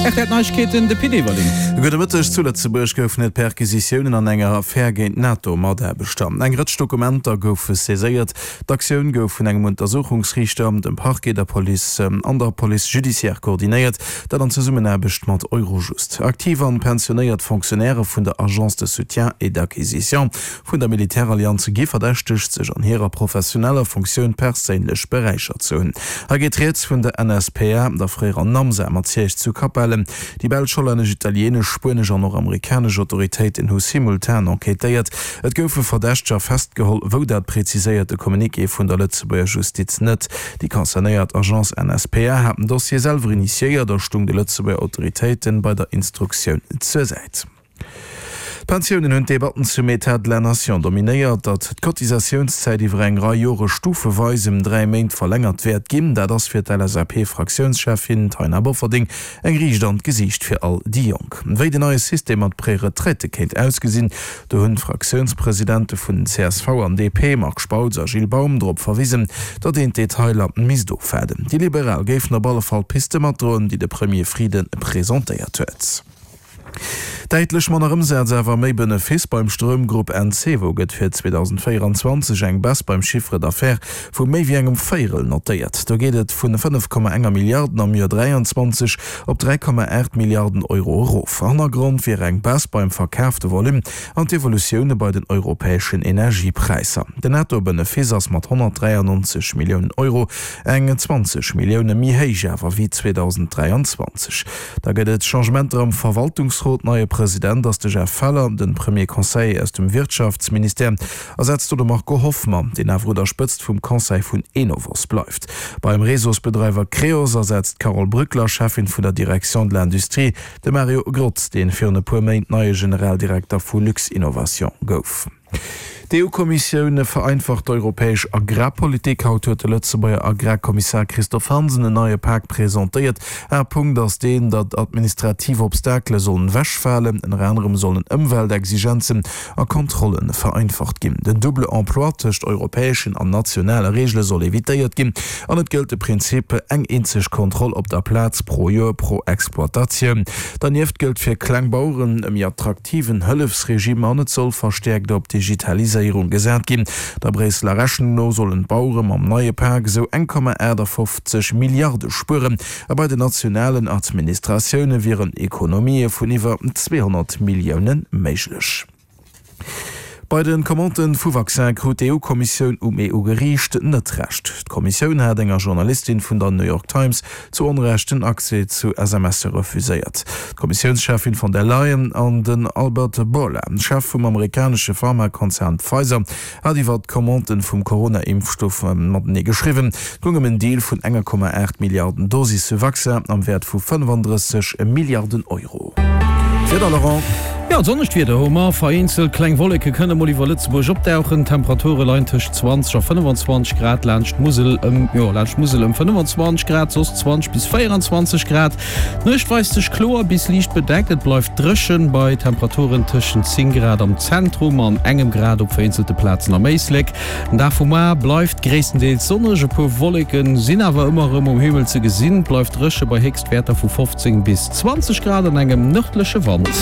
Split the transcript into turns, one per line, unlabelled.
Rtl Neiegkeeten, de Pit Everling.
Gudde Mëtteg. Zu Lëtzebuerg goufen et Perquisitiounen an enger Affär géint NATO-Mataarbechter. Eng Rëtsch Dokumenter goufe saiséiert. D'Aktioun gouf vun engem Untersuchungsriichter, dem Parquet, der Police an der Police judiciaire koordinéiert, dat an Zesummenaarbecht mat Eurojust. Aktiv an pensionéiert Fonctionnairë vun der Agence de soutien et d'acquisition vun der Militärallianz gi verdächtegt, sech an hirer professioneller Funktioun perséinlech beräichert ze hunn. Hei geet Rieds vun der NSPA, der fréierer NAMSA mat Siège zu Capellen. Déi belsch, hollännesch, italieenesch, spuenesch an och amerikanesch Autoritéiten hu simultan enquêtéiert. Et goufe Verdächteger festgeholl, wou dat preziséiert de Communiqué vun der Lëtzebuerger Justiz net. Déi concernéiert Agence NSPA hat den Dossier selwer initiéiert a stung de Lëtzebuerger Autoritéiten bei der Instruktioun zur Säit. D'Pensiounen hunn d'Debatten zum Etat de la Nation dominéiert. Datt d'Cotisatiounszäit iwwer eng Rei Jore stufeweis ëm 3 Méint verlängert wäert ginn, dat ass fir d'LSAP-Fraktiounscheffin Taina Bofferding eng Riicht an d'Gesiicht fir all déi Jonk. Wéi den neie System mat Préretraite kéint ausgesinn, do hunn d'Fraktiounspresidente vun csv an DP, Marc Spautz a Gilles Baum, drop verwisen, datt een d'Detailer misst ofwaarden. Déi Liberal géifen op alle Fall d'Piste matdroen, déi de Premier Frieden presentéiert huet. Däitlech manner Ëmsaz, awer méi Benefice beim Stroumgrupp Encevo gëtt fir 2024 eng Baisse beim Chiffre d'affaires vu méi wéi engem Véierel notéiert. Do geet et vun 5,enger Milliarden am Joer 23 op 3,8 Milliarden Euro erof. Hannergrond wier eng Baisse beim verkaafte Volume an d'Evolutioune bei den europäeschen Energiepräisser. Den Netto-Benefice ass mat 193 Milliounen Euro eng 20 Millioune méi héich awer wéi 2023. Da gëtt et Changementer am Verwaltungsrot. Neie President ass de Jeff Feller, den Premier Conseiller aus dem Wirtschaftsministère ersetzt do de Marco Hoffmann, deen awer un der Spëtzt vum Conseil vun Enovos bleift. Beim Réseausbedreiwer Creos ersetzt d'Carole Brückler, Cheffin vun der Direction de l'Industrie, de Mario Grotz, deen virun e puer Méint neie Generaldirekter vu Luxinnovation gouf. D'EU-Kommissioun vereinfacht d'europäesch Agrarpolitik. Haut huet de Lëtzebuerger Agrarkommissar Christophe Hansen en neie Pak presentéiert. Haaptpunkt ass deen, datt administrativ Obstakele sollen ewechfalen. Ënner anerem sollen Ëmweltexigenzen a Kontrolle vereinfacht ginn. Den double emploi tëscht europäeschen an nationale Reegele soll evitéiert ginn an et gëllt de Prinzip eng eenzeg Kontroll op der Plaz pro Joer pro Exploitatioun. Dernieft gëllt fir kleng Baueren e méi attraktiven Hëllefsregime an et soll verstäerkt op d'Digitaliséierung gesat ginn. Der Bréisseler Rechnung no sollen d'Bauere mam neie Pak esou 1,58 Milliarde spueren a bei den nationalen Administratioune wieren Ekonomië vun iwwer 200 Millioune méiglech. Bei de Commandë vu Vaccin krut d'EU-Kommissioun um EU-Geriicht net Recht. D'Kommissioun hat enger Journalistin vun der New York Times zu Onrecht den Accès zu SMSe refuséiert. D'Kommissiounscheffin von der Leyen an den Albert Bourla, Chef vum amerikanesche Pharmakonzern Pfizer, hat iwwer d'Commandë vum Corona-Impfstoff matenee geschriwwen. Et goung ëm en Deal vun 1,8 Milliarden Dosisse Vaccin am Wäert vu 35 Milliarden Euro.
D'Wieder, Laurent. Jo, sonnegt Wieder hu mer. Vereenzelt kleng Wolleke kënne mol iwwer Lëtzebuerg opdauchen. D'Temperature leien tëscht 20 a 25 Grad, laanscht d'Musel ëm, jo, laanscht d'Musel ëm 25 Grad, soss 20 bis 24 Grad. D'Nuecht weist sech kloer bis liicht bedeckt, et bleift dréchen bei Temperaturen tëschent 10 Grad am Zentrum an engem Grad op vereenzelte Plazen am Éislek. Den Dag vu mar bleift gréisstendeels sonneg, e puer Wolleke sinn awer ëmmer erëm um Himmel ze gesinn. Et bleift dréche bei Héchstwäerter vu 15 bis 20 Grad an engem nërdleche Wand.